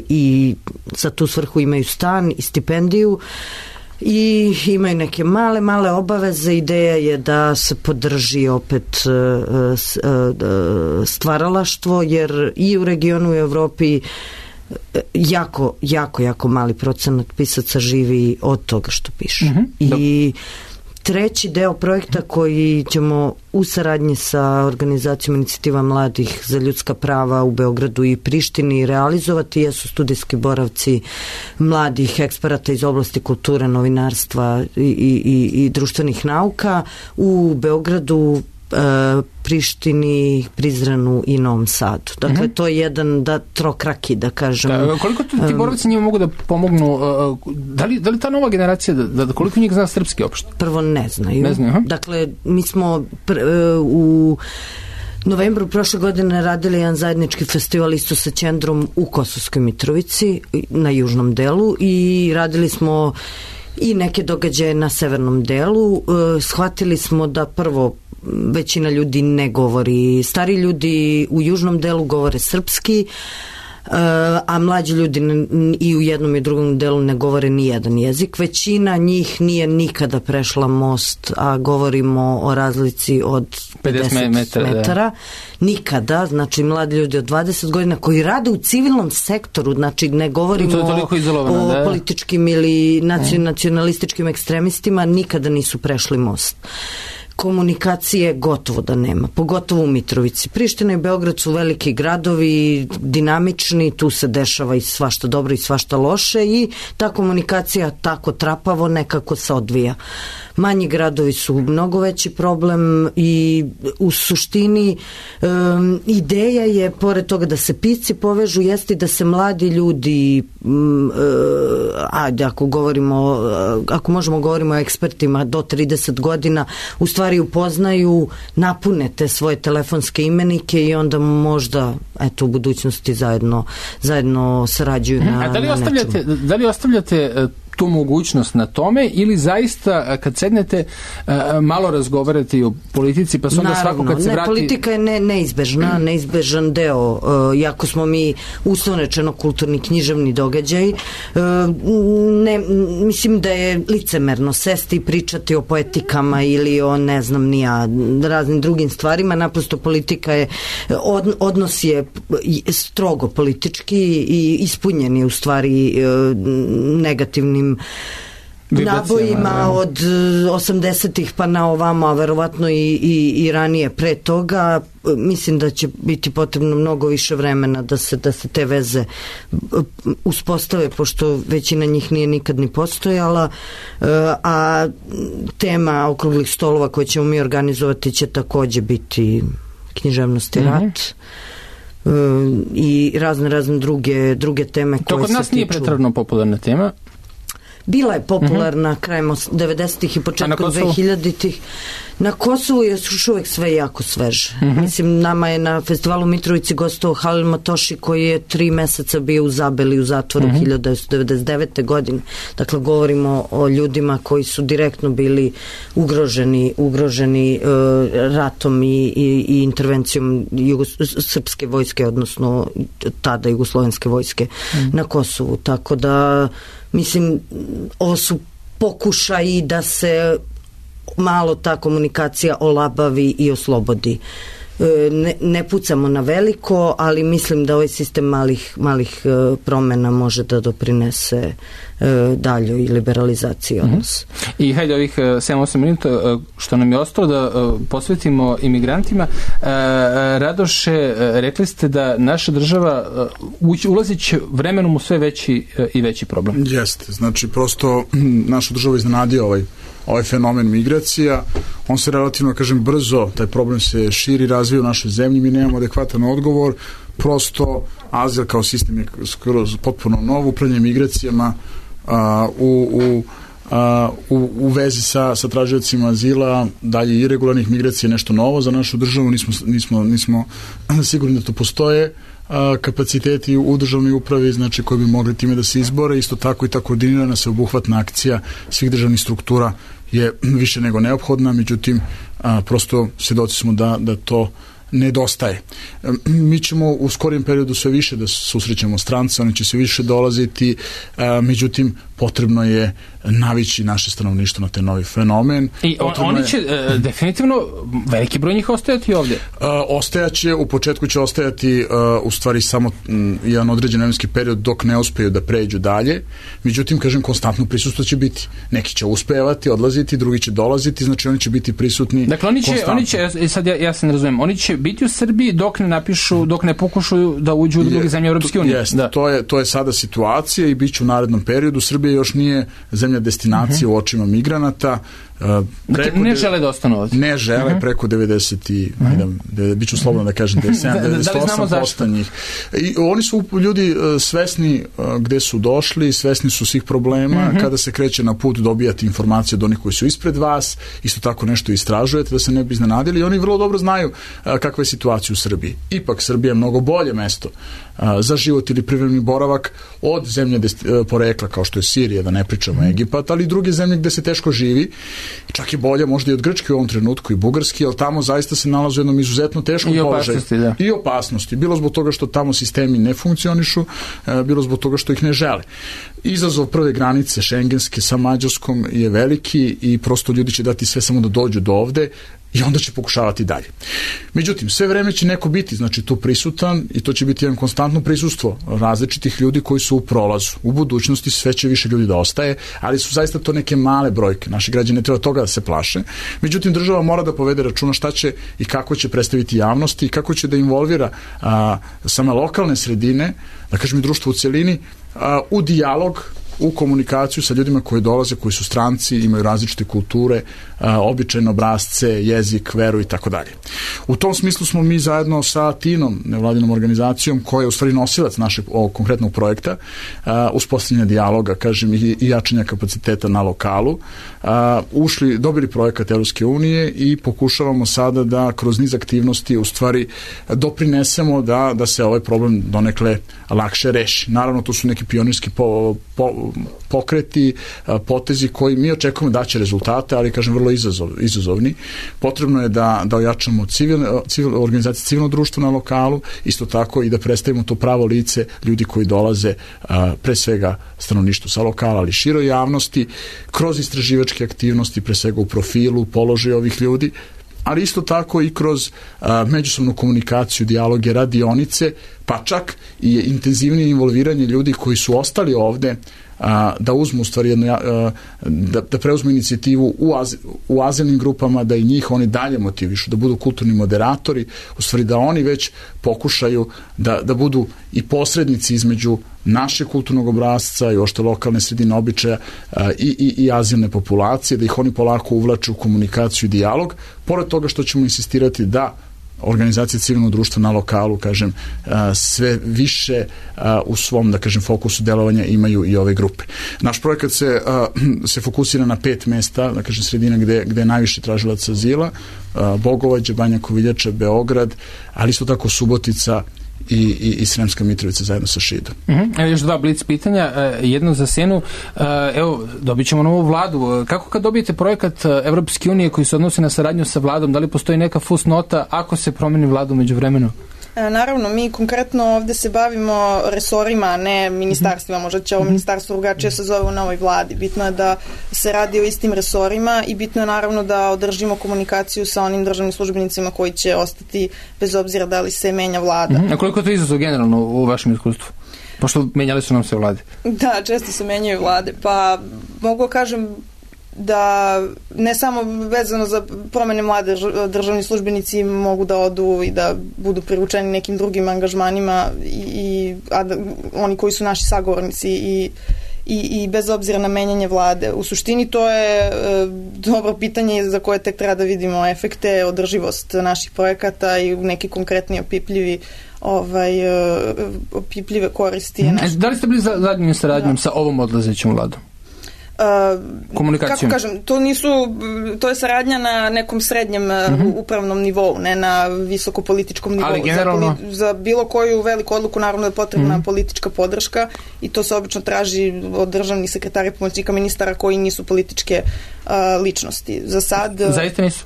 i za tu svrhu imaju stan i stipendiju i imaju neke male obaveze. Ideja je da se podrži opet stvaralaštvo, jer i u regionu i u Evropi jako mali procenat pisaca živi od toga što piše. I treći deo projekta koji ćemo u saradnji sa organizacijom Inicijativa mladih za ljudska prava u Beogradu i Prištini realizovati jesu studijski boravci mladih eksperata iz oblasti kulture, novinarstva i društvenih nauka u Beogradu, Prištini, Prizrenu i Novom Sadu. Dakle, to je jedan trokraki, da kažem. Koliko ti boravci njima mogu da pomognu? Da li ta nova generacija, koliko njih zna srpski opšte? Prvo ne znaju. Ne znaju, Dakle, mi smo u novembru prošle godine radili jedan zajednički festival isto sa Ćendrom u Kosovskoj Mitrovici na južnom delu i radili smo i neke događaje na severnom delu. Shvatili smo da prvo većina ljudi ne govori, stari ljudi u južnom delu govore srpski, a mlađi ljudi i u jednom i drugom delu ne govore ni jedan jezik. Većina njih nije nikada prešla most, a govorimo o razlici od 50 metara. Nikada, znači mladi ljudi od 20 godina koji rade u civilnom sektoru, znači ne govorimo o političkim ili nacionalističkim ekstremistima, nikada nisu prešli most. Komunikacije gotovo da nema, pogotovo u Mitrovici. Priština i Beograd su veliki gradovi, dinamični, tu se dešava i svašta dobro i svašta loše i ta komunikacija tako trapavo nekako se odvija. Manji gradovi su mnogo veći problem i u suštini ideja je, pored toga da se pisci povežu, jeste da se mladi ljudi, ako možemo govorimo o ekspertima do 30 godina, u stvari upoznaju, napune te svoje telefonske imenike i onda možda u budućnosti zajedno sarađuju na nečemu. Da li ostavljate tu mogućnost na tome ili zaista kad sednete malo razgovarate i o politici pa se onda svako kad se vrati... Politika je neizbežan deo, jako smo mi uslovno rečeno kulturni književni događaj, mislim da je licemerno sesti i pričati o poetikama ili o ne znam nija raznim drugim stvarima, naprosto politika je odnos je strogo politički i ispunjen je u stvari negativnim nabojima od 80-ih pa na ovamo, a verovatno i ranije pre toga. Mislim da će biti potrebno mnogo više vremena da se te veze uspostave, pošto većina njih nije nikad ni postojala, a tema okruglih stolova koje ćemo mi organizovati će takođe biti književnost i rat. I razne druge teme koje se tiču. To kod nas nije pretredno popularna tema? Bila je popularna krajem 90-ih i početkom 2000-ih. Na Kosovu je još uvek sve jako sveže. Mislim, nama je na festivalu Mitrovici gostovao Halil Matoši koji je 3 meseca bio u Zabeli u zatvoru 1999. godine. Dakle, govorimo o ljudima koji su direktno bili ugroženi ratom i intervencijom srpske vojske, odnosno tada jugoslovenske vojske na Kosovu. Tako da mislim, ovo su pokušaji da se malo ta komunikacija olabavi i oslobodi. Ne pucamo na veliko, ali mislim da ovaj sistem malih promena može da doprinese daljoj liberalizaciji odnosa. I hajde ovih 7-8 minuta što nam je ostalo da posvetimo imigrantima. Radoše, rekli ste da naša država ulazit će vremenom u sve veći i veći problem. Jeste, znači prosto našu državu iznenadio ovaj fenomen migracija, on se relativno, brzo, taj problem se širi, razvija u našoj zemlji, mi nemamo adekvatan odgovor, prosto azil kao sistem je skroz potpuno nov, upravljanje migracijama u vezi sa tražiocima azila, dalje iregularnih migracija, nešto novo za našu državu, nismo sigurni da to postoje kapaciteti u državnoj upravi, znači koji bi mogli time da se izbore, isto tako i ta koordinirana sveobuhvatna akcija svih državnih struktura je više nego neophodna, međutim prosto svjedoci smo da to nedostaje. Mi ćemo u skorijem periodu sve više da susrećemo strance, oni će sve više dolaziti, međutim potrebno je navići naše stanovništvo na taj novi fenomen. I oni će definitivno, veliki broj njih ostajati ovdje? Ostajaće, u početku će ostajati u stvari samo jedan određen vremenski period dok ne uspeju da pređu dalje. Međutim, kažem, konstantno prisustvo će biti. Neki će uspevati, odlaziti, drugi će dolaziti, znači oni će biti prisutni. Dakle, oni će sad ja se ne razumijem, oni će biti u Srbiji dok ne napišu, dok ne pokušaju da uđu u druge zemlje Europske unije. Jeste, to je sada situacija i bit će u narednom periodu. Srbija još nije zemlja destinacije u očima migranata. Ne žele da ostanu ovdje. Ne žele, preko 90 bit ću slobodno da kažem 98% njih. I oni su ljudi svesni gde su došli, svesni su svih problema. Kada se kreće na put, dobijate informacije od onih koji su ispred vas, isto tako nešto istražujete da se ne bi iznenadili i oni vrlo dobro znaju kakva je situacija u Srbiji. Ipak Srbija je mnogo bolje mesto za život ili privremeni boravak od zemlje porekla kao što je Sirija, da ne pričamo Egipat, ali i druge zemlje gde se teško živi. Čak je bolje možda i od Grčke u ovom trenutku i Bugarski, ali tamo zaista se nalaze u jednom izuzetno teškom položaju. I opasnosti. Bilo zbog toga što tamo sistemi ne funkcionišu, bilo zbog toga što ih ne žele. Izazov prve granice šengenske sa Mađarskom je veliki i prosto ljudi će dati sve samo da dođu do ovde i onda će pokušavati dalje. Međutim, sve vreme će neko biti, znači, tu prisutan i to će biti jedan konstantno prisustvo različitih ljudi koji su u prolazu. U budućnosti sve će više ljudi da ostaje, ali su zaista to neke male brojke. Naši građani ne treba toga da se plaše. Međutim, država mora da povede računa šta će i kako će predstaviti javnosti i kako će da involvira same lokalne sredine, da kažem i društvo u celini, u dijalog, u komunikaciju sa ljudima koji dolaze, koji su stranci, imaju različite kulture, običajne obrasce, jezik, veru i tako dalje. U tom smislu smo mi zajedno sa TIN-om, nevladinom organizacijom, koja je u stvari nosilac našeg ovog konkretnog projekta, uspostavljanja dijaloga, kažem, i jačanja kapaciteta na lokalu, dobili projekat Evropske unije i pokušavamo sada da kroz niz aktivnosti u stvari doprinesemo da se ovaj problem donekle lakše reši. Naravno, to su neki pionirski pokreti, potezi koji mi očekujemo da će rezultate, ali kažem vrlo izazovni. Potrebno je da ojačamo organizacije civilnog društva na lokalu, isto tako i da predstavimo to pravo lice ljudi koji dolaze pre svega stanovništvu sa lokala, ali široj javnosti, kroz istraživačke aktivnosti, pre svega u profilu, položaju ovih ljudi, ali isto tako i kroz međusobnu komunikaciju, dijaloge, radionice, pa čak i intenzivnije involviranje ljudi koji su ostali ovde, da uzmu u stvari da preuzmu inicijativu u azilnim grupama, da i njih oni dalje motivišu, da budu kulturni moderatori, u stvari da oni već pokušaju da budu i posrednici između naše kulturnog obrasca i ošte lokalne sredine običaja i azilne populacije, da ih oni polako uvlaču u komunikaciju i dijalog, pored toga što ćemo insistirati da organizacije civilnog društva na lokalu, kažem, sve više u svom, da kažem, fokusu delovanja imaju i ove grupe. Naš projekat se fokusira na 5 mesta, da kažem, sredina gde je najviše tražilaca azila, Bogovađe, Banja Koviljača, Beograd, ali isto tako Subotica i Sremska Mitrovica zajedno sa Šidom. Evo još 2 blic pitanja, jedno za Senu. Evo, dobit ćemo novu vladu. Kako kad dobijete projekat Evropske unije koji se odnosi na saradnju sa vladom, da li postoji neka fusnota ako se promeni vladu među vremenu? Naravno, mi konkretno ovde se bavimo resorima, a ne ministarstvima. Možda će ovo ministarstvo drugačije se zove u novoj vladi. Bitno je da se radi o istim resorima i bitno je naravno da održimo komunikaciju sa onim državnim službenicima koji će ostati bez obzira da li se menja vlada. A koliko je to izazov generalno u vašem iskustvu? Pošto menjali su nam se vlade. Da, često se menjaju vlade. Pa mogu kažem da ne samo vezano za promene mlade, državni službenici mogu da odu i da budu privučeni nekim drugim angažmanima a oni koji su naši sagovornici i bez obzira na menjanje vlade. U suštini to je dobro pitanje za koje tek treba da vidimo efekte, održivost naših projekata i neki konkretni opipljive koristi. Da li ste bili zadnjim saradnjom sa ovom odlazećom vladom? Kako kažem, to je saradnja na nekom srednjem upravnom nivou, ne na visoko političkom nivou. Ali generalno za bilo koju veliku odluku naravno je potrebna politička podrška i to se obično traži od državnih sekretara i pomoćnika ministara koji nisu političke ličnosti. Za sad zaista nisu?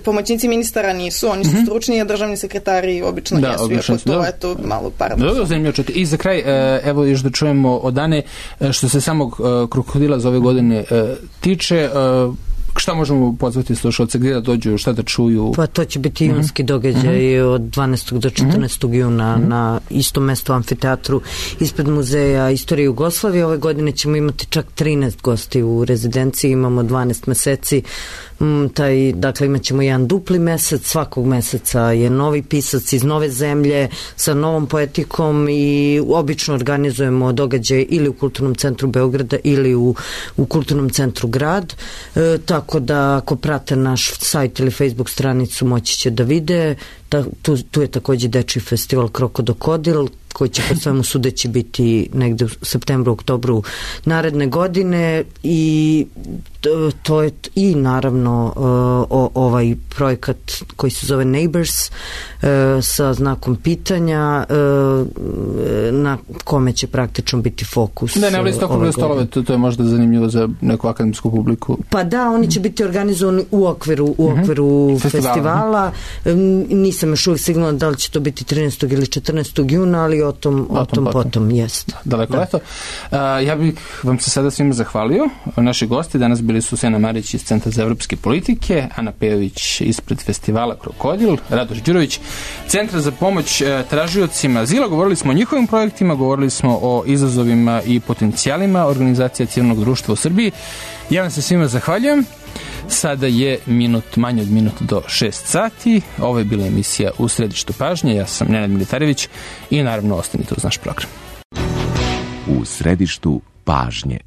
pomoćnici ministara nisu, oni su stručni, a državni sekretari obično jesu, iako to je to malo paradoksalno. Zanimljivo čuti. I za kraj, evo još da čujemo od Ane, što se samog krokodila za ove godine tiče, šta možemo pozvati slušalce, gdje da dođu, šta da čuju? Pa to će biti junski događaj od 12. do 14. juna na istom mestu amfiteatru ispred Muzeja istorije Jugoslavije. Ove godine ćemo imati čak 13 gosti u rezidenciji, imamo 12 meseci. Dakle, imat ćemo jedan dupli mesec, svakog meseca je novi pisac iz nove zemlje sa novom poetikom i obično organizujemo događaj ili u Kulturnom centru Beograda ili u Kulturnom centru Grad, tako da ako prate naš sajt ili Facebook stranicu moći će da vide. Tu je također dečiji festival Krokodil, koji će po svemu sudeći biti negde u septembru, oktobru naredne godine i to je i naravno ovaj projekat koji se zove Neighbors sa znakom pitanja na kome će praktično biti fokus. Da, ne isto okrugle stolove, to je možda zanimljivo za neku akademsku publiku. Pa da, oni će biti organizovani u okviru festivala. Nisam još uvijek sigurna da li će to biti 13. ili 14. juna, ali o tom potom jest. Daleko leto. Ja bih vam se sada svima zahvalio. Naši gosti danas bili su Sena Marić iz Centra za evropske politike, Ana Pejović ispred festivala Krokodil, Radoš Đurović, Centra za pomoć tražiocima azila. Govorili smo o njihovim projektima, govorili smo o izazovima i potencijalima organizacija civilnog društva u Srbiji. Ja vam se svima zahvaljujem. Sada je manje od minut do 6 sati. Ovo je bila emisija U središtu pažnje. Ja sam Nenad Militarević i naravno ostanite uz naš program. U središtu pažnje.